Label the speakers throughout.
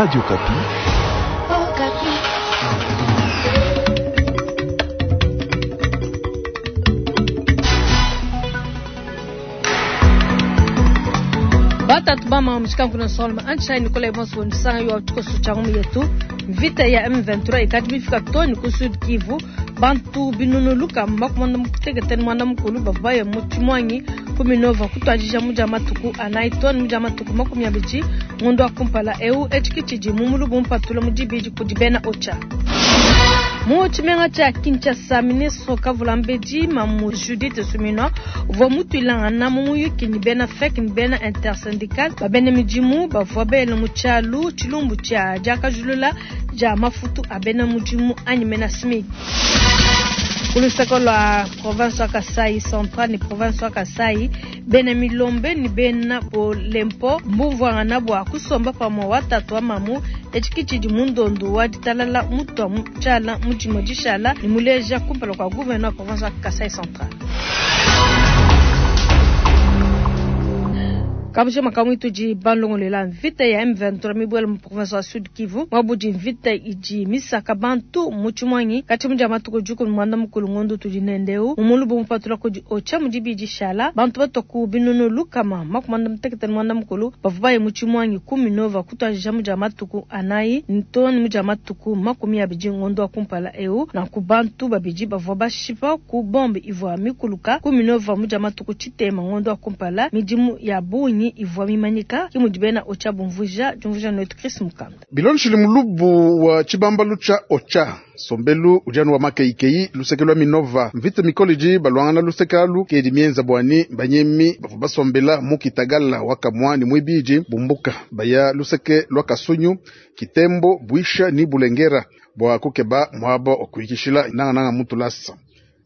Speaker 1: Radio Okapi.
Speaker 2: Batatu bama mushikanku na solma anchai Nicolas Bonso nsanga yo tukosu changu yetu vita ya M23 ikati bifika toni ku Sud Kivu bantu binunuluka makumanda mukuteketeni mwana mukulu bavaye mu Chimwangi kuminova kutwajija muja matuku anayi toni muja matuku 20 ngondo akumpala eu echikitshidi mumulubu mpatula mudibidi kudi bena ocha. Mu tshimenga tshia Kinshasa, ministre Kavulambedi Mamu Judith Suminwa uvua mutuilangana mu muyuki ni bena FEC ni bena intersyndical ba bena midimu bavua bela mu tshialu tshilumbu tshia diakajulula dia mafutu a bena mudimu anyi mena SMIC. Ku luseke lua province wa Kasai Central ni province wa Kasai, bena Milombe ni bena Bolempo mbumvuangana bua kusomba pamue wa tatu wa mamu etshi tshidi mundondu wa ditalala mutua mu tshiala mu dimue dishala ni muleja kumpala kua gouverneur wa province wa Kasai Central. Kabusha makamu itudi balongolela mvita ya M23 mibwele mu province wa Sud Kivu mwabudi mvita idi misaka bantu mu Tshimwangi kati mudia matuku juku mwanda mukulu ngondo tudi nendeu mumulubu mupatula kudi ocha mudibidi shala bantu batoku binunu lukama makumanda mutekete mwanda mukulu bavubaye mu Tshimwangi 19 kutwajija mudia matuku anayi ntoni mudia matuku 20 ngondo akumpala eu na ku bantu babidi bavua bashipa ku bombe ivua mikuluka 19 mudia matuku chitema ngondo akumpala midimu ya bunyi ivua mimanyika kimudi bena ocha bumvuja jumvuja noetu Chris Mukanda.
Speaker 3: Bilonshili mulubu wa chibambalu cha ocha sombelu ujanu wa makeikei luseke lwa Minova mvita mikoliji balwangana luseke alu kedi mienza bwani banyemi bavua basombela mu Kitagala wakamwa ni mwibiji bumbuka baya luseke lwa Kasunyu Kitembo Bwisha ni Bulengera bwa kukeba mwaba okuikishila nanga nanga mutulasa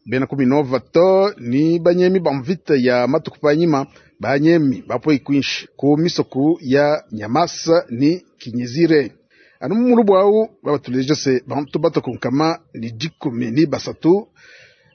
Speaker 3: bena ku Minova to ni banyemi ba mvita ya matuku panyima banyemi bapo ikwinshi ku misoku ya Nyamasa ni Kinyizire anu mulubu au babatuleje se bantu batokunkama ni 13 ni 3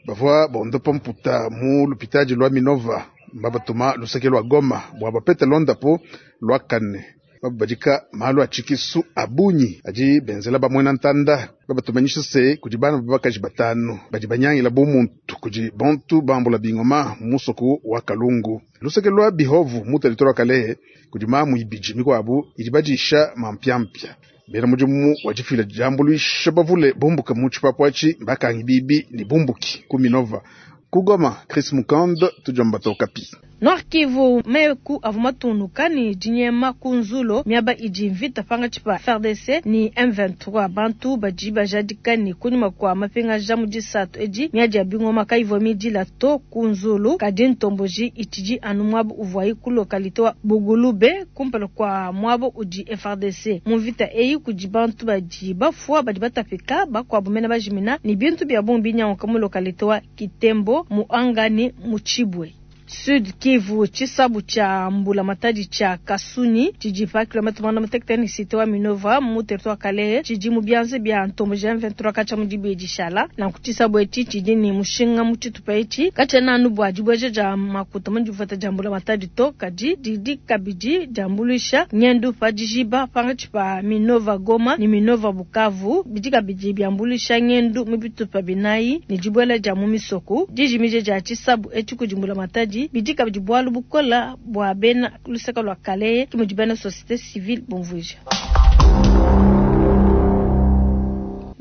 Speaker 3: bavua bondopa mputa mu lupitaji lwa Minova babatuma luseke lwa Goma bwa bapete londapo lwa kane babadika malu achikisu abunyi aji benzela bamwena ntanda babatumanyisha se kudi bana babakaji batano badi banyangila bumuntu kudi bantu bambula bingoma musoku wa Kalungu luseke lwa Bihovu mu territoire wa Kalehe kudi mamu ibiji mikwabu idi badisha mampyampya bena mudimu wa difila diambuluisha bavule bumbuka mu tshipapwachi bakangi bibi ni bumbuki ku Minova kugoma Chris Mukand tujamba tokapi.
Speaker 2: Nord Kivu meku avumatunuka ni dinyema kunzulo miaba idi mvita panga chipa FARDC ni M23 bantu badi bajadika ni kunyuma kwa mapenga jamu disatu edi miadi ya bingoma kaivo midila to kunzulo kadi ntomboji itidi anu mwabu uvwai ku localité wa Bugulube kumpala kwa mwabo udi FARDC mu mvita eyi kudi bantu badi bafua badi batapika bakwabu mena bajimina ni bintu bya bombi nyanka mu localité wa Kitembo muangani muchibwe. Sud Kivu chisabu cha mbula matadi cha Kasuni chiji pa kilomita mwana mutekete cité wa Minova mu territoire Kalehe chiji mu byanze bya ntombo ja 23 kacha mu dibeji shala na kuchisabu echi chiji ni mushinga mu chitupa echi kacha na nubu ajibweje ja makuta mu jifata ja mbula matadi to kaji didi kabiji jambulisha nyendu pa jijiba panga chipa Minova Goma ni Minova Bukavu biji kabiji byambulisha nyendu mu bitupa binayi ni jibwela ja mu misoko dijimije ja chisabu echi kujimbula matadi bidika bidi bukola bwa bena luseka lwa Kalehe kimudi bena société civile bonvuja.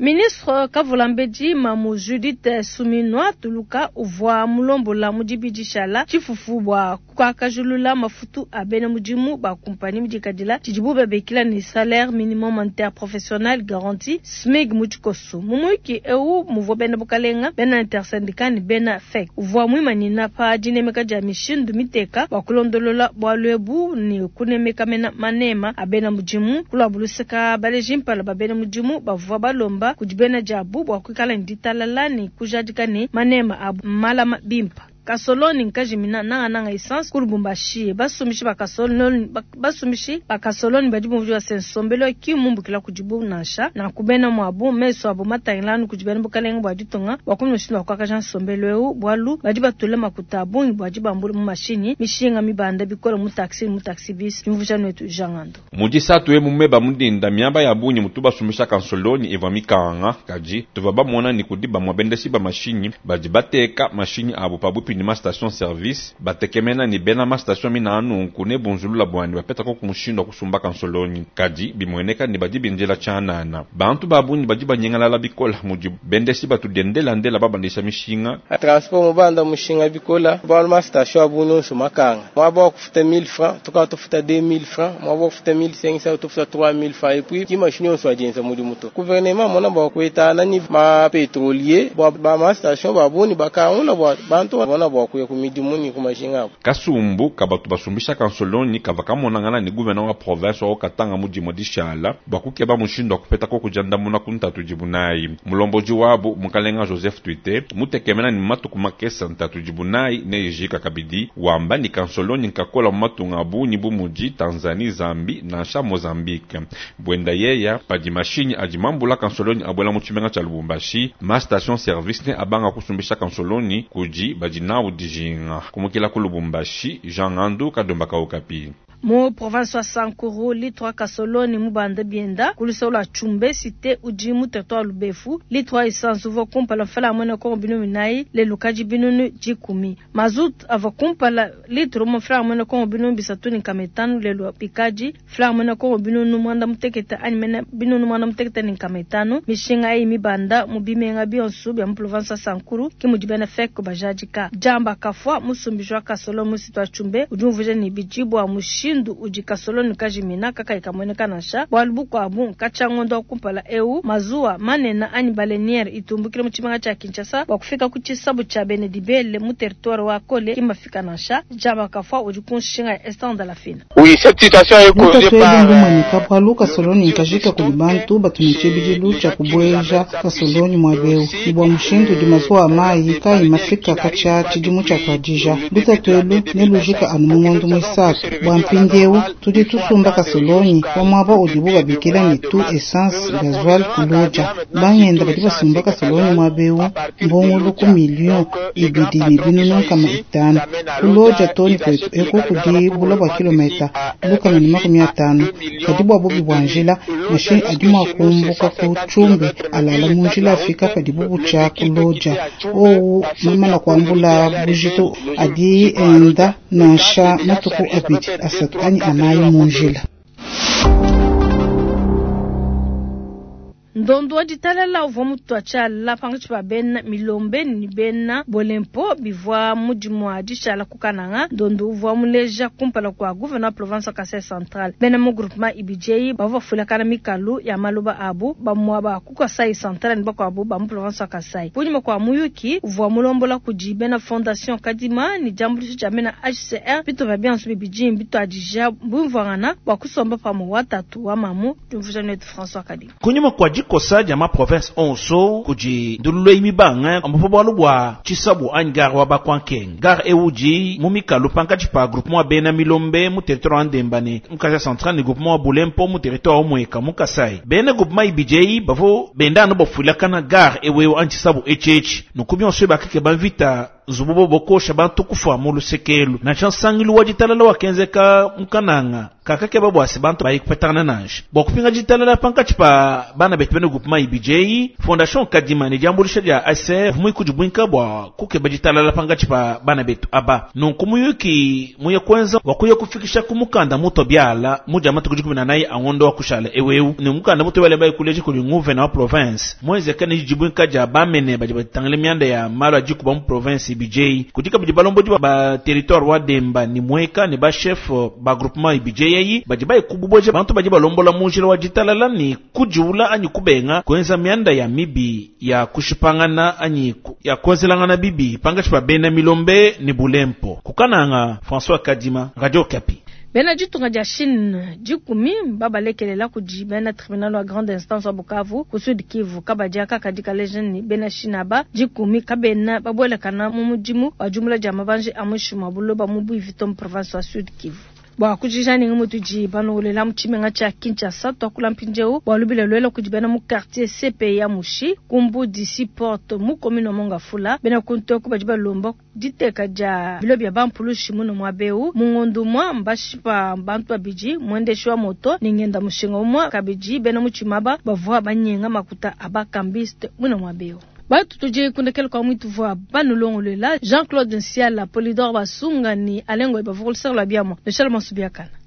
Speaker 2: Ministre Kavulambedi Mamu Judith Suminwa Tuluka uvua mulombola mudibidi shala chifufu bwa kukakajulula mafutu a bena mudimu ba kumpani mudikadila tshidibu babekila ni salaire minimum interprofessionnel garanti SMIG mutshikosu mumuiki eu muvua bena bukalenga bena intersyndicat ni bena FEC uvua mwimanina pa dinemeka dia mishindu miteka bwa kulondolola bwa lwebu ni kunemeka mena manema a bena mudimu kulwabuluseka baleji mpala ba bena mudimu bavua balomba kudi bena diabu bwa kuikala ni ditalala ni kujadika ni manema abu malama bimpa. Kasoloni nkajimina nangananga essence ku Lubumbashi. Basumbishi ba kasoloni, basumbishi ba kasoloni badi bumvuija se nsombelu ki mmumbukila kudibu nansha. Nanku bena muabu mesu abu matangila anu kudi bena bukalenge bua ditunga bua kumona mushindu wa kuakaja nsombelu eu, bualu badi batula makuta a bungi bua dibambula mu mashinyi, mishinga mibanda bikole mu taxi ne mu taxi bus. Diumvuija nuetu Jean Ngando.
Speaker 1: Mu disatu emu meba mu dinda, miaba ya bungi mutu basumbisha kansolonyi ivua mikanga, kadi tuvua bamona ne kudi bamue bendeshi ba mashinyi badi bateka mashinyi abu pabuipi ne ma station service, batekemena ne bena ma station mina nunku ne bunzulula buani bapeta koku mushindu wa kusumba kansolonyi, kadi bimueneka ne badi bindila tshianana. Bantu ba bungi badi banyingalala bikole mudi bendeshi batu diendelandela babandisha mishinga.
Speaker 4: Transport mubanda mushinga bikola bualu ma station abu nyonso makanga, muaba wa kufuta 1000 francs tuka tufuta 2000 francs, muaba wa kufuta 1500 tufuta 3000 francs, et puis ki machine yonso adienza mudimu to. Gouvernement mona bua kuetana ni ma pétrolier bua ba ma station ba buni bakangula bua bantu bona bua kuya ku midimu ni ku mashinga abu.
Speaker 1: Kasumbu kabatu basumbisha kansolonyi kava kamonangana ni gouverneur wa province wa Katanga mu dimue dishala bua kukeba mushindu wa kupeta koku diandamuna ku ntatu idibu nayi. Mulomboji wabu mukalenga Joseph Twite mutekemena ni matuku makesa ntatu idibu nayi neyijika kabidi, wamba ni kansolonyi nkakola mu matunga a bungi bu mudi Tanzanie, Zambie nansha Mozambique. Bwenda yeya padi mashinyi adi mambula kansolonyi abuela mu tshimenga tshia Lubumbashi, ma station service ne abanga kusumbisha kansolonyi kudi badi nawu dijinga. Kumukila ku Lubumbashi, Jean Ngandu, Kadomba ka Okapi.
Speaker 2: Mu province wa Sankuru, litre wa kasoloni mubanda bienda ku luseke lua Tshumbe cité udi mu territoire Lubefu. Litre wa essence uvua kumpala mfala mwene Kongo binunu binayi, lelu kadi binunu dikumi. Mazut avua kumpala litre umue mfala mwene Kongo binunu bisatu ne nkama itanu, lelu bikadi mfala mwene Kongo binunu mwanda mutekete anyi mene binunu mwanda mutekete ne nkama itanu. Mishinga eyi mibanda mu bimenga bionso bia mu province wa Sankuru ke mudi bena FEC bajadika. Jamba kafua musumbiji wa kasoloni mu cité wa Tshumbe udi umvuija ne bidi bua mushindu udi kasoloni kajimina kakayi kamueneka nansha. Bualu bukuabu nkatshia ngondo wa kumpala eu mazuwa manene anyi baleniere itumbukile mu tshimenga tshia Kinshasa bua kufika ku tshisabu tshia Benedibele mu territoire wa Kole ki mafika nansha. Jamba kafua udi ku nshinga ya Esther Ndalafina.
Speaker 5: Oui, cette situation est causée
Speaker 6: Lutatu
Speaker 5: par
Speaker 6: elu ndumanyika bualu kasoloni nkajika kudi bantu batu ne tshibidilu tshia kubueja kasoloni muaba eu. Ni bua mushindu udi mazuwa a mayi kayi mafika katshia tshidimu tshia tuadija. Lutatu elu nelujika anu mu ngondo muisatu. Bua mpindieu tudi tusumba kasolonyi wa muaba udibu babikila ne tu essence gasoil kuloja. Bangenda badi basumba kasolonyi muaba eu mbongolo ku million ibidi ne binunu nkama itanu. Kuloja toni kwetu eku kudi bula bua kilomita lukama ne makumi atanu. Kadi bua bubi bua njila, mashinyi adi mua kumbuka ku Tshumbe alala mu njila afika padibu butshia kuloja. Owu mamana kuambula bujitu adi enda nansha matuku abidi asatu anyi anayi mu njila.
Speaker 2: Ndondo wa ditalala uvua mutua tshiala pankatshi pa bena Milombe ne bena Bolempo bivua mudimu wa dishala ku Kananga. Ndondo uvua muleja kumpala kua gouverneur wa province wa Kasai Central. Bena mu groupement ibidi bavua bafuilakana mikalu ya maloba abu bamue ba ku Kasai Central ne bakuabu ba mu province wa Kasai. Kunyima kua muyuki uvua mulombola kudi bena Fondation Kadima ne diambuluisha dia bena HCR bitupa bionso bibidi bituadija bumvuangana bua kusomba pamue wa tatu wa mamu. Diumvuija netu François Kadima.
Speaker 7: Kunyima kua dikosa dia ma province onso kudi ndululu eyi mibanga ambapo bualu bua tshisabu anyi gare wa bakwankenge. Gare ewu udi mu mikalu pankatshi pa groupement wa bena Milombe mu territoire wa Ndemba ne mu Kasai Central ne groupement wa Bulempo mu territoire wa Mweka mu Kasai. Bena groupement ibidi eyi bavua benda anu bafuilakana gare ewu ewu anyi tshisabu etshi etshi. Nunku bionso bakeke bamvita nzubu bo bokosha bantu kufa mu lusekelu. Nansha nsangilu wa ditalala wakenzeka mu Kananga kakakeba bua se bantu bayi kupetangana nansha. Bua kupinga ditalala pankatshi pa bana betu bena groupement ibidi eyi, Fondation Kadima ne diambuluisha dia ACR muikudi buinka bua kukeba ditalala pankatshi pa bana betu aba. Nunku muyuki muye kuenza wa kuya kufikisha ku mukanda muto biala mu dia matuku dikumi na nayi a ngondo wa kushala eweu. Ne mukanda muto biala bayi kuleja kudi gouverneur wa province muenzeka ne dibuinka dia bamene badi batangile mianda ya malu a dikuba mu province ibidi eyi. Kudi kabidi balombodi ba territoire wa Demba ni Mweka ne ba chef ba groupement ibidi eyi badi bayi kububoja bantu badi balombola mu njila wa ditalala ni kujiula anyi kubenga kuenza mianda ya mibi ya kushipangana anyi ya kuenzelangana bibi pankatshi pa bena Milombe ne Bulempo. Kukananga François Kadima, Radio Okapi.
Speaker 2: Bena ditunga dia Chine dikumi mbabalekelela kudi bena tribunal wa grande instance wa Bukavu ku Sud Kivu. Kabadi aka kadi kaleja ne bena Chine aba dikumi kabena babuelakana mu mudimu wa diumbula dia mabanji a muinshi mua buloba mu Buivi to mu province wa Sud Kivu. Bua kujija ne mutudi balongolela mu tshimenga tshia Kinshasa, tuakula mpindieu bua lubila luela kudi bena mu quartier CPA Mushi ku Mbudi Seaport mu commune wa Mont-Ngafula. Bena kuntu eku badi balomba diteka dia bilo bia bampulushi muno muaba eu. Mu ngondo umue mbashipa bantu babidi, muendeshi wa moto ne ngenda mushinga umue. Kabidi bena mu tshimaba bavua banyenga makuta a bakambiste muno muaba eu. Batu tudi kundekela kwa mwitu vua banulongolola Jean-Claude Nsiala, Polydor Basunga ni Alengo bavua kulusaka lua biamua. Michel Masubiakana.